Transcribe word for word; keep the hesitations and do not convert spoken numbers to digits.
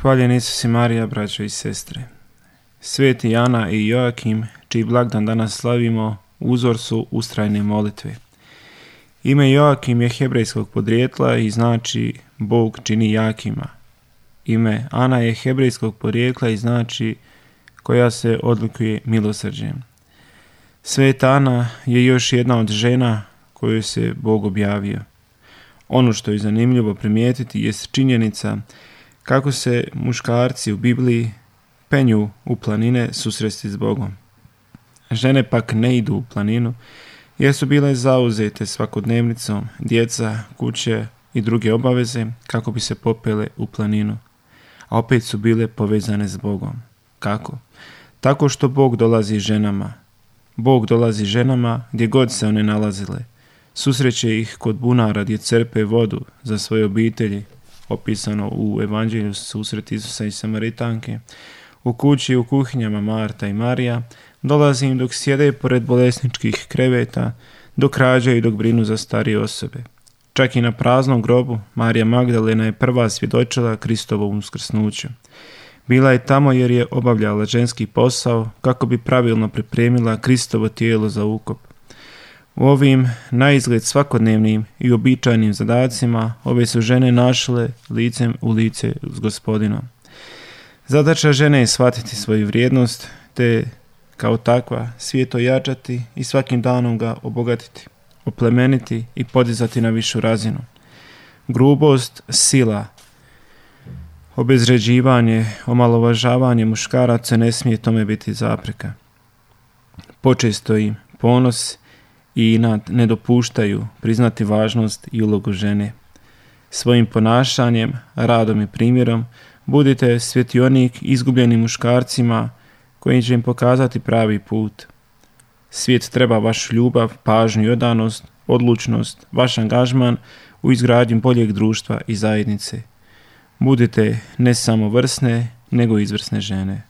Hvaljen Isus i Marija, braćo i sestre. Sveti Ana i Joakim, čiji blagdan danas slavimo, uzor su ustrajne molitve. Ime Joakim je hebrejskog podrijetla i znači Bog čini jakima. Ime Ana je hebrejskog porijekla i znači koja se odlikuje milosrđem. Sveta Ana je još jedna od žena koju se Bog objavio. Ono što je zanimljivo primijetiti jest činjenica kako se muškarci u Bibliji penju u planine susresti s Bogom. Žene pak ne idu u planinu jer su bile zauzete svakodnevnicom, djeca, kuće i druge obaveze kako bi se popele u planinu. A opet su bile povezane s Bogom. Kako? Tako što Bog dolazi ženama. Bog dolazi ženama gdje god se one nalazile. Susreće ih kod bunara gdje crpe vodu za svoje obitelji, opisano u Evanđelju susret Isusa i Samaritanke. U kući i u kuhinjama Marta i Marija, dolazi im dok sjede pored bolesničkih kreveta, dok rađaju i dok brinu za starije osobe. Čak i na praznom grobu Marija Magdalena je prva svjedočila Kristovom uskrsnuću. Bila je tamo jer je obavljala ženski posao kako bi pravilno pripremila Kristovo tijelo za ukop. U ovim naizgled svakodnevnim i običajnim zadacima ove su žene našle licem u lice s Gospodinom. Zadaća žene je shvatiti svoju vrijednost te kao takva svijet ojačati i svakim danom ga obogatiti, oplemeniti i podizati na višu razinu. Grubost, sila, obezvređivanje, omalovažavanje muškaraca ne smije tome biti zapreka. Počesto im ponos i inat ne dopuštaju priznati važnost i ulogu žene. Svojim ponašanjem, radom i primjerom budite svjetionik izgubljenim muškarcima koji će im pokazati pravi put. Svijet treba vašu ljubav, pažnju i odanost, odlučnost, vaš angažman u izgradnji boljeg društva i zajednice. Budite ne samo vrsne, nego izvrsne žene.